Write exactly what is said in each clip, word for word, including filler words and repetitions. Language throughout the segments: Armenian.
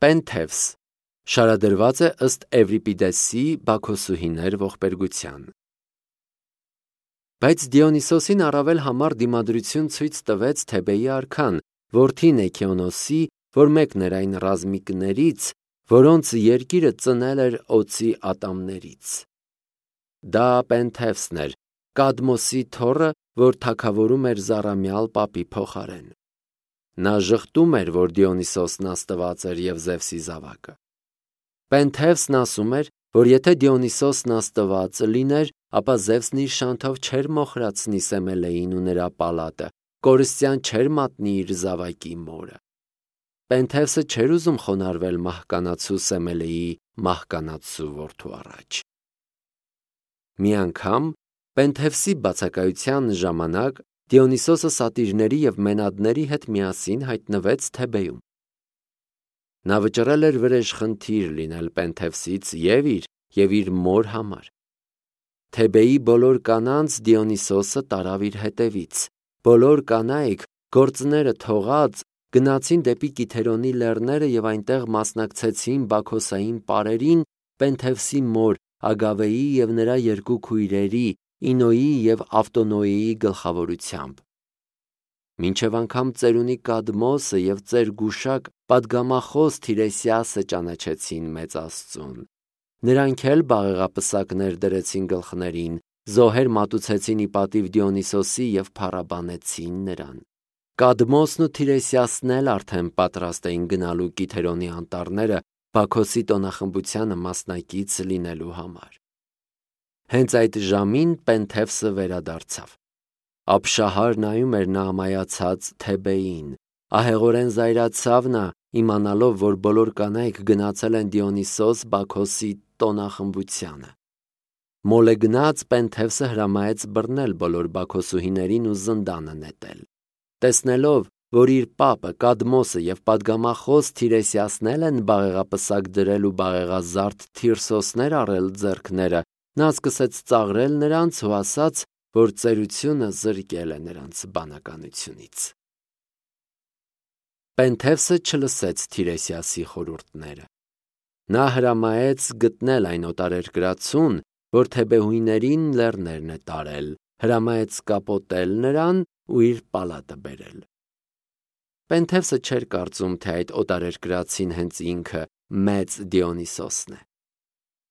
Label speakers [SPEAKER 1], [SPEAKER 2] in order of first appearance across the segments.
[SPEAKER 1] Պենթևս շարադրված է ըստ Էվրիպիդեսի Բաքոսուհիներ ողբերգության։ Բայց Դիոնիսոսին առավել համար դիմադրություն ցույց տվեց Թեբեի արքան, որդին Էքեոնոսի, որ մեկն էր այն ռազմիկներից, որոնց երկիրը ծնել էր օծի ատամներից։ Դա Պենթևսն էր, Կադմոսի թոռը, որ թագավորում էր Զառամյալ պապի փոխարեն։ Նա ժխտում էր, որ Դիոնիսոսն աստված էր և Զևսի զավակը։ Պենթևսն ասում էր, որ եթե Դիոնիսոսն աստված լիներ, ապա Զևսն իր շանթով չէր մոխրացնի Սեմելեին ու նրա պալատը, կորստյան չէր մատնի իր զավակի մորը։ Պենթևսը չէր ուզում խոնարհվել մահկանացու Սեմելեի մահկանացու որդու առաջ։ Մի անգամ Պենթևսի բացակայության ժամանակ Դիոնիսոսը սատիրների և մենադների հետ միասին հայտնվեց Թեբեում։ Նա վճռել էր վրեժխնդիր լինել Պենթևսից և իր, և իր մոր համար։ Թեբեի բոլոր կանանց Դիոնիսոսը տարավ իր հետևից։ Բոլոր կանայք, գործները թողած, գնացին դեպի Կիթերոնի լեռները և այնտեղ մասնակցեցին բաքոսային պարերին Պենթևսի մոր Ագավեի և նրա երկու քույրերի՝ Ինոյի և Ավտոնոյի գլխավորությամբ։ Մինչև անգամ ծերունի Կադմոսը և ծեր պատգամախոս Թիրեսիասը ճանաչեցին մեծ Աստծուն։ Նրանք էլ բաղեղապսակներ դրեցին գլխներին, զոհեր մատուցեցին ի պատիվ Դիոնիսոսի և փառաբանեցին նրան։ Կադմոսն ու Թիրեսիասն էլ արդեն պատրաստ էին գնալու Կիթերոնի անտառները Բաքոսի տոնախմբությանը մասնակից լինելու համար։ Հենց այդ ժամին Պենթևսը վերադարձավ։ Ապշահար նայում էր նա ամայացած Թեբեին։ Ահեղորեն զայրացավ նա, իմանալով, որ բոլոր կանայք գնացել են Դիոնիսոս Բաքոսի տոնախմբությանը։ Մոլեգնած Պենթևսը հրամայեց բռնել բոլոր բաքոսուհիներին ու զնդանը նետել։ Տեսնելով, որ իր պապը Կադմոսը և պատգամախոս Թիրեսիասն էլ են բաղեղապսակ դրել ու բաղեղազարդ Թիրսոսներ առել ձեռքները, նա սկսեց ծաղրել նրանց ու ասաց, որ ծերությունը զրկել է նրանց բանականությունից։ Պենթևսը չլսեց Թիրեսիասի խորհուրդները։ Նա հրամայեց գտնել այն օտարերկրացուն, որ թեբեհույներին լեռներն է տարել, հրամայեց կապոտել նրան ու իր պալատը բերել։ Պենթևսը չէր կարծում, թե այդ օտարերկրացին հենց ինքը մեծ Դիոնիսոսն է։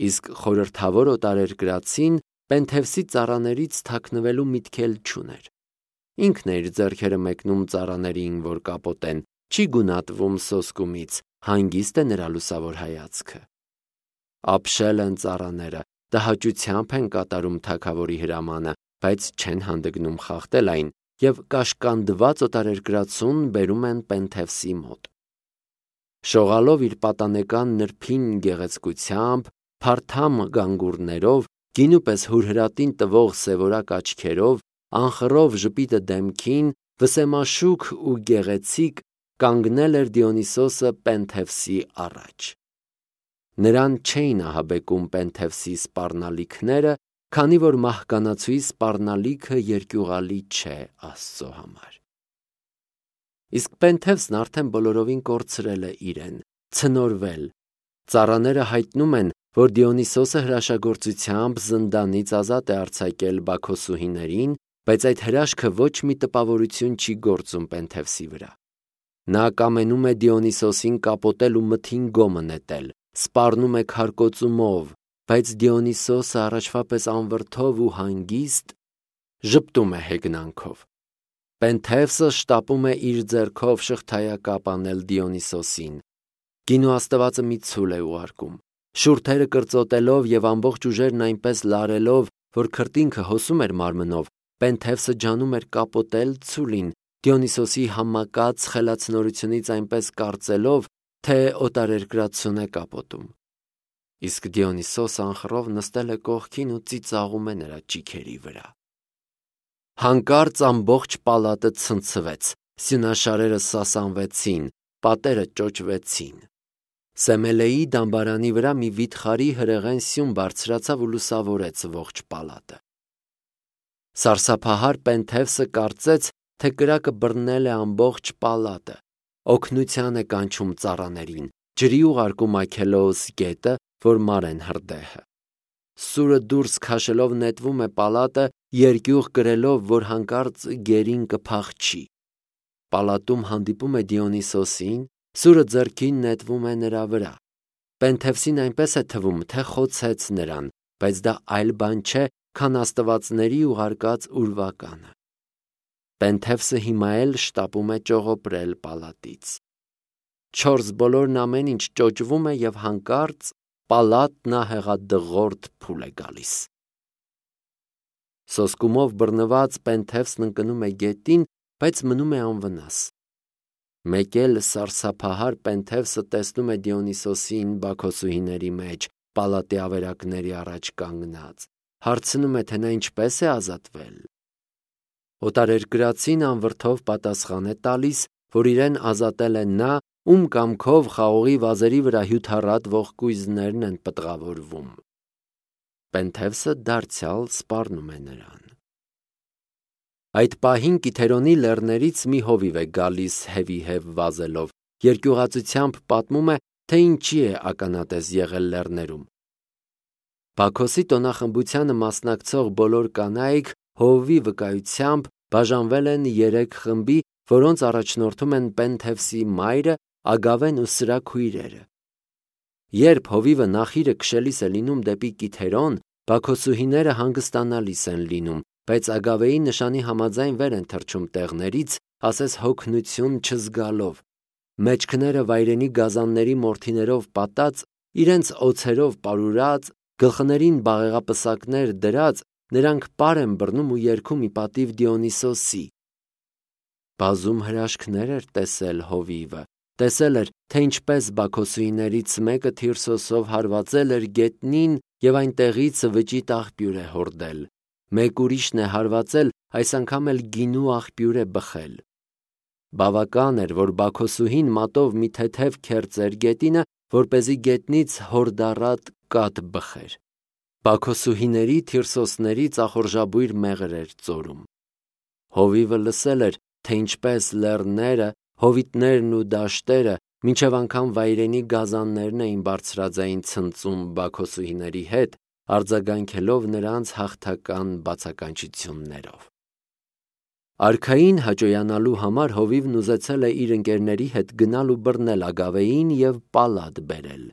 [SPEAKER 1] Իսկ խորհրդավոր օտարերկրացին Պենթևսի ծառաներից թաքնվելու միտք էլ չուներ։ Ինքն է իր ձեռքերը մեկնում ծառաներին, որ կապոտեն, չի գունատվում սոսկումից, հանգիստ է նրա լուսավոր հայացքը։ Ապշել են ծառաները, տհաճությամբ են կատարում թագավորի հրամանը, բայց չեն հանդգնում խախտել այն և կաշկանդված օտարերկրացուն բերում են Պենթևսի մոտ։ Շողալով իր պատանեկան նրբին գեղեցկությամբ, փարթամ գանգուրներով, գինու պես հուրհրատին տվող սևորակ աչքերով, անխռով ժպիտը դեմքին, վսեմաշուք ու գեղեցիկ, կանգնել էր Դիոնիսոսը Պենթևսի առաջ։ Նրան չէին ահաբեկում Պենթևսի սպառնալիքները, քանի որ մահկանացուի սպառնալիքը երկյուղալի չէ Աստծո համար։ Իսկ Պենթևսն արդեն բոլորովին կորցրել է իրեն, ցնորվել։ Ծառաները հայտնում են, որ Դիոնիսոսը հրաշագործությամբ զնդանից ազատ է արձակել բաքոսուհիներին, բայց այդ հրաշքը ոչ մի տպավորություն չի գործում Պենթևսի վրա։ Նա կամենում է Դիոնիսոսին կապոտել ու մթին գոմը նետել, սպառնում է քարկոծումով, բայց Դիոնիսոսը առաջվա պես անվրդով ու հանգիստ ժպտում է հեգնանքով։ Պենթևսը շտապում է իր ձեռքով շղթայակապ անել Դիոնիսոսին։ Գինու աստվածը մի ցուլ է ուղարկում։ Շուրթերը կրծոտելով և ամբողջ ուժերն այնպես լարելով, որ քրտինքը հոսում էր մարմնով, Պենթևսը ջանում էր կապոտել ցուլին, Դիոնիսոսի համակած խելացնորությունից այնպես կարծելով, թե օտարերկրացուն է կապոտում։ Իսկ Դիոնիսոսը անխռով նստել է կողքին ու ծիծաղում է նրա ճիգերի վրա։ Հանկարծ ամբողջ պալատը ցնցվեց, սյունաշարերը սասանվեցին, պատերը ճոճվեցին։ Սեմելեի դամբարանի վրա մի վիթխարի հրեղեն սյուն բարձրացավ ու լուսավորեց ողջ պալատը։ Սարսափահար Պենթևսը կարծեց, թե կրակը բռնել է ամբողջ պալատը, օգնության է կանչում ծառաներին, ջրի ուղարկում Այքելոս գետը, որ Մարեն հրդեհը։ Սուրը դուրս քաշելով նետվում է պալատը, երկյուղ կրելով, որ հանկարծ գերին կփախչի։ Պալատում հանդիպում է Դիոնիսոսին, սուրը ձեռքին նետվում է նրա վրա։ Պենթևսին այնպես է թվում, թե խոցեց նրան, բայց դա այլ բան չէ, քան աստվածների ուղարկած ուրվականը։ Պենթևսը հիմա էլ շտապում է ճողոպրել պալատից։ Չորս բոլորն ամեն ինչ ճոճվում է և հանկարծ պալատն ահեղադղորդ փուլ է գալիս։ Սոսկումով բռնված Պենթևսն ընկնում է գետին, բայց մնում է անվնաս։ Մեկ էլ սարսափահար Պենթևսը տեսնում է Դիոնիսոսին բաքոսուհիների մեջ, պալատի ավերակների առաջ կանգնած, հարցնում է, թե նա ինչպես է ազատվել։ Օտարերկրացին անվրդով պատասխան է տալիս, որ իրեն ազատել է նա, ում կամքով խաղողի վազերի վրա հյութառատ ողկույզներն են պտղավորվում։ Պենթևսը դարձյալ սպառնում է նրան։ Այդ պահին Կիթերոնի լեռներից մի հովիվ է գալիս հևի-հև վազելով, երկյուղածությամբ պատմում է, թե ինչի է ականատես եղել լեռներում։ Բաքոսի տոնախմբությանը մասնակցող բոլոր կանայք հովվի վկայությամբ բաժանվել են երեք խմբի, որոնց առաջնորդում են Պենթևսի մայրը, Ագավեն ու սրա քույրերը։ Երբ հովիվը նախիրը քշելիս է լինում դեպի Կիթերոն, բաքոսուհիները հանգստանալիս են լինում, բայց Ագավեի նշանի համաձայն վեր են թռչում տեղներից, ասես հոգնություն չզգալով։ Մեջքները վայրենի գազանների մորթիներով պատած, իրենց օձերով պարուրած, գլխներին բաղեղապսակներ դրած, նրանք պար են բռնում ու երգում ի պատիվ Դիոնիսոսի։ Բազում հրաշքներ էր տեսել հովիվը, տեսել էր, թե ինչպես բաքոսուհիներից մեկը Թիրսոսով հարվածել էր գետնին և այնտեղից վճիտ աղբյուր է հորդել, մեկ ուրիշն է հարվածել, այս անգամ էլ գինու աղբյուր է բխել։ Բավական էր, որ բաքոսուհին մատով մի թեթև քերծեր գետինը, որպեսզի գետնից հորդառատ կաթ բխեր։ Բաքոսուհիների Թիրսոսների ծախորժաբույր մեղր էր ծորում։ Հովիվը լսել էր, թե ինչպես լեռները, հովիտներն ու դաշտերը, մինչև անգամ վայրենի գազաններն էին բարձրաձայն ցնծում բաքոսուհիների հետ, արձագանքելով նրանց հաղթական բացականչություններով։ Արքային հաճոյանալու համար հովիվն ուզեցել է իր ընկերների հետ գնալ ու բռնել Ագավեին և պալատ բերել։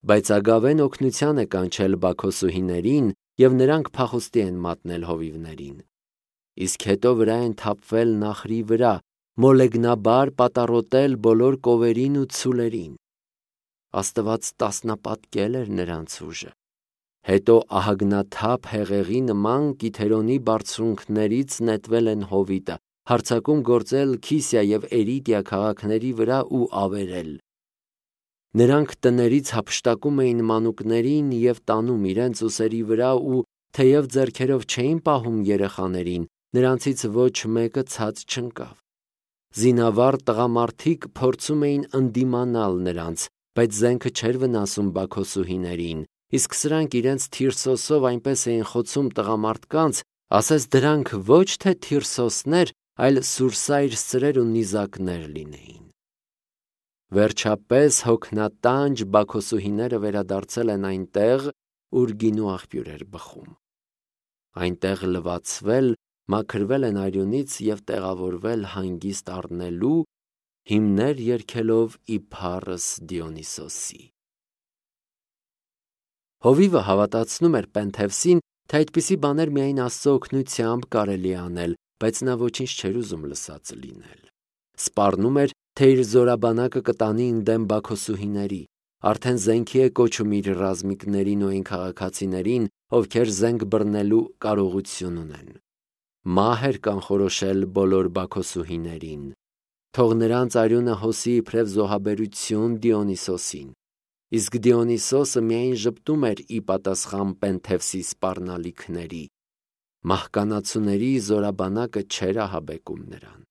[SPEAKER 1] Բայց Ագավեն օգնության է կանչել բաքոսուհիներին, և նրանք փախուստի են մատնել հովիվներին։ Իսկ հետո վրա են թափվել նախրի վրա, մոլեգնաբար պատառոտել բոլոր կովերին ու ցուլերին։ Աստված տասնապատկել էր նրանց ուժը։ Հետո ահագնաթափ հեղեղի նման Կիթերոնի բարձունքներից նետվել են հովիտը, հարձակում գործել Քիսիա և Էրիդիա քաղաքների վրա ու ավերել։ Նրանք տներից հափշտակում էին մանուկներին և տանում իրենց ուսերի վրա ու, թեև ձեռքերով չէին պահում երեխաներին, նրանցից ոչ մեկը ցած չընկավ։ Զինավառ տղամարդիկ փորձում էին ընդդիմանալ նրանց, բայց զենքը չէր վնասում բաքոսուհիներին, իսկ սրանք իրենց Թիրսոսով այնպես էին խոցում տղամարդկանց, ասես դրանք ոչ թե Թիրսոսներ, այլ սուրսայր սրեր ու նիզակներ լինեին։ Վերջապես հոգնատանջ բաքոսուհիները վերադարձել են այնտեղ, ուր գինու աղբյուր էր բխում։ Այնտեղ լվացվել, մաքրվել են արյունից և տեղավորվել հանգիստ առնելու, հիմներ երգելով ի փառս Դիոնիսոսի։ Հովիվը հավատացնում էր Պենթևսին, թե այդպիսի բաներ միայն Աստծո օգնությամբ կարելի է անել, բայց նա ոչինչ չէր ուզում լսածը լինել։ Սպառնում էր, թե իր զորաբանակը կտանի ընդդեմ բաքոսուհիների, արդեն զենքի է կոչում իր ռազմիկներին ու այն քաղաքացիներին, ովքեր զենք բռնելու կարողություն ունեն։ Մահ էր կանխորոշել բոլոր բաքոսուհիներին։ Թող նրանց արյունը հոսի իբրև զոհաբերություն Դիոնիսոսին։ Իսկ Դիոնիսոսը միայն ժպտում էր ի պատասխան Պենթևսի սպառնալիքների։ Մահկանացուների զորաբանակը չէր ահաբեկում նրան։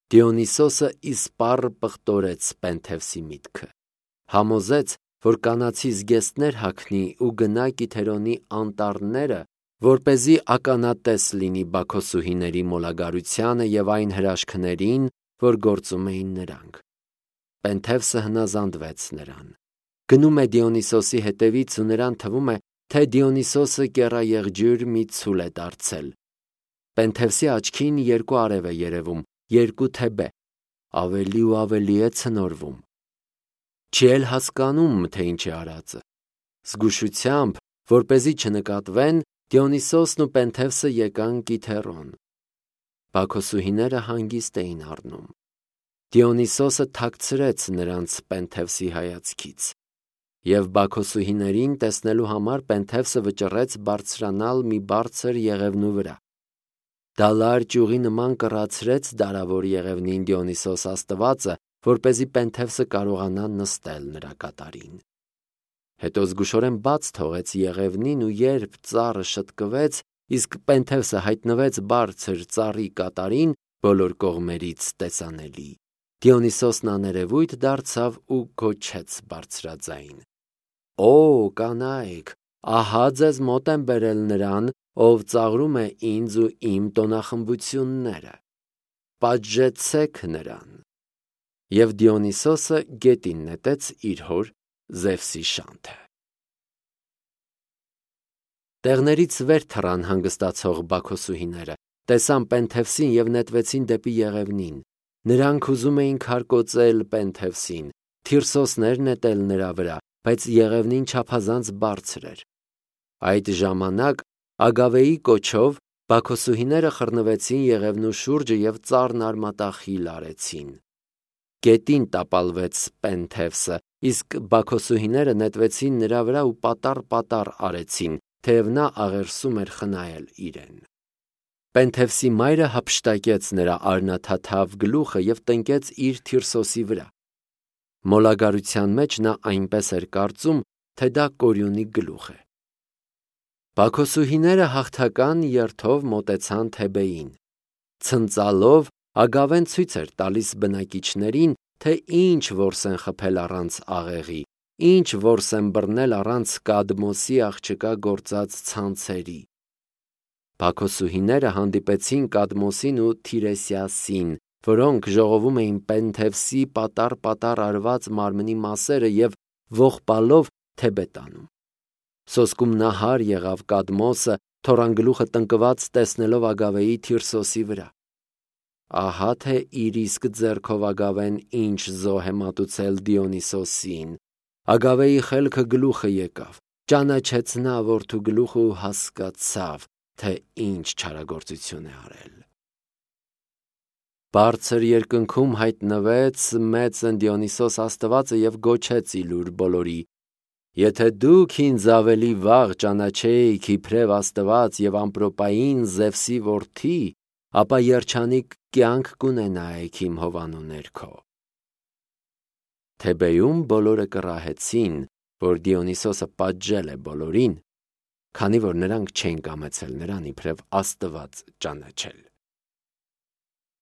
[SPEAKER 1] Դիոնիսոսը իսպառ պղտորեց Պենթևսի միտքը։ Համոզեց, որ կանացի զգեստներ հագնի ու գնա Կիթերոնի անտառները, որպեսզի ականատես լինի բաքոսուհիների մոլագարությանը և այն հրաշքներին, որ գործում էին նրանք։ Պենթևսը հնազանդվեց նրան։ Գնում է Դիոնիսոսի հետևից ու նրան թվում է, թե Դիոնիսոսը կեռաեղջյուր մի ցուլ է դարձել։ Պենթևսի աչքին երկու արև է երևում, երկու թեբե, ավելի ու ավելի է ցնորվում։ Չի էլ հասկանում, թե ինչ է արածը։ Զգուշությամբ, որպեսզի չնկատվեն, Դիոնիսոսն ու Պենթևսը եկան Կիթերոն։ Բաքոսուհիները հանգիստ էին առնում։ Դիոնիսոսը թաքցրեց նրանց Պենթևսի հայացքից, և բաքոսուհիներին տեսնելու համար Պենթևսը վճռեց բարձրանալ մի բարձր եղևնու վրա։ Դա լար ճյուղի նման կռացրեց դարավոր եղևնին Դիոնիսոս աստվածը, որպեսզի Պենթևսը կարողանա նստել նրա կատարին։ Հետո զգուշորեն բաց թողեց եղևնին ու երբ ծառը շտկվեց, իսկ Պենթևսը հայտնվեց բարձր ծառի կատարին, բոլոր կողմերից տեսանելի, Դիոնիսոսն աներևույթ դարձավ ու գոչեց բարձրաձայն. «Օ, կանայք, ահա ձեզ մոտ եմ բերել նրան, ով ծաղրում է ինձ ու իմ տոնախմբությունները, պատժեցեք նրան»։ Եվ Դիոնիսոսը գետին նետեց իր հոր Զևսի շանթը։ Տեղներից վեր թռան հանգստացող բաքոսուհիները, տեսան Պենթևսին և նետվեցին դեպի եղևնին։ Նրանք ուզում էին քարկոծել Պենթևսին, թիրսոսներ նետել նրա վրա, բայց եղևնին չափազանց բարձր էր։ Այդ ժամանակ Ագավեի կոչով բաքոսուհիները խռնվեցին եղևնու շուրջը և ծառն արմատախիլ արեցին։ Գետին տապալվեց Պենթևսը, իսկ բաքոսուհիները նետվեցին նրա վրա ու պատառ-պատառ արեցին, թեև նա աղերսում էր խնայել իրեն։ Պենթևսի մայրը հափշտակեց նրա արնաթաթավ գլուխը և տնկեց իր թիրսոսի վրա։ Մոլագարության մեջ նա այնպես էր կարծում, թե դա Կորյունի գլուխ է։ Բաքոսուհիները հաղթական երթով մոտեցան Թեբեին։ Ցնծալով Ագավեն ցույց էր տալիս բնակիչներին, թե ինչ որս են խփել առանց աղեղի, ինչ որս են բռնել առանց Կադմոսի աղջկա գործած ցանցերի։ Բաքոսուհիները հանդիպեցին Կադմոսին ու Թիրեսիասին, որոնք ժողովում էին Պենթևսի պատառ-պատառ արված մարմնի մասերը և ողբալով Թեբե տանում։ Սոսկում նահար եղավ Կադմոսը, թոռանգլուխը տնկված տեսնելով Ագավեի թիրսոսի վրա։ Ահա թե իր իսկ ձեռքով Ագավեն ինչ զոհ է մատուցել Դիոնիսոսին։ Ագավեի խելքը գլուխը եկավ, ճանաչեց նա որդու գլուխը ու հասկացավ, թե ինչ չարագործություն է արել։ Բարձր երկնքում հայտնվեց մեծն Դիոնիսոս աստվածը և գոչեց իլուր բոլորի. «Եթե դուք ինձ ավելի վաղ ճանաչեիք իբրև աստված և ամպրոպային Զևսի որդի, ապա երջանիկ կյանք կունենայիք իմ հովանու ներքո»։ Թեբեում բոլորը կռահեցին, որ Դիոնիսոսը պատժել է բոլորին, քանի որ նրանք չէին կամեցել նրան իբրև աստված ճանաչել։